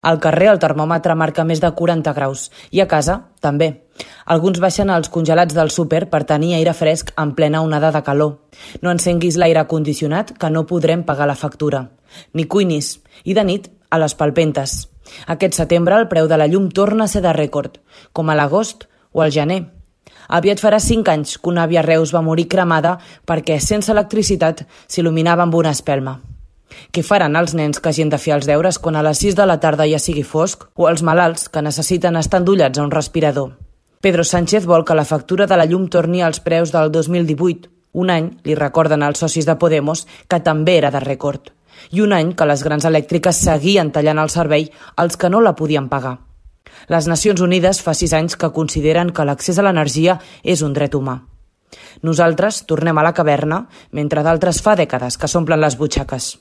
Al carrer el termòmetre marca més de 40 graus i a casa també. Alguns baixen als congelats del súper per tenir aire fresc en plena onada de calor. No encenguis l'aire condicionat que no podrem pagar la factura. Ni cuinis. I de nit, a les palpentes. Aquest setembre el preu de la llum torna a ser de rècord, com a l'agost o al gener. Aviat farà 5 anys que una àvia a Reus va morir cremada perquè sense electricitat s'il·luminava amb una espelma. Què faran els nens que hagin de fer els deures quan a les 6 de la tarda ja sigui fosc o els malalts que necessiten estar endollats a un respirador? Pedro Sánchez vol que la factura de la llum torni als preus del 2018. Un any, li recorden als socis de Podemos, que també era de rècord. I un any que les grans elèctriques seguien tallant el servei als que no la podien pagar. Les Nacions Unides fa 6 anys que consideren que l'accés a l'energia és un dret humà. Nosaltres tornem a la caverna, mentre d'altres fa dècades que s'omplen les butxaques.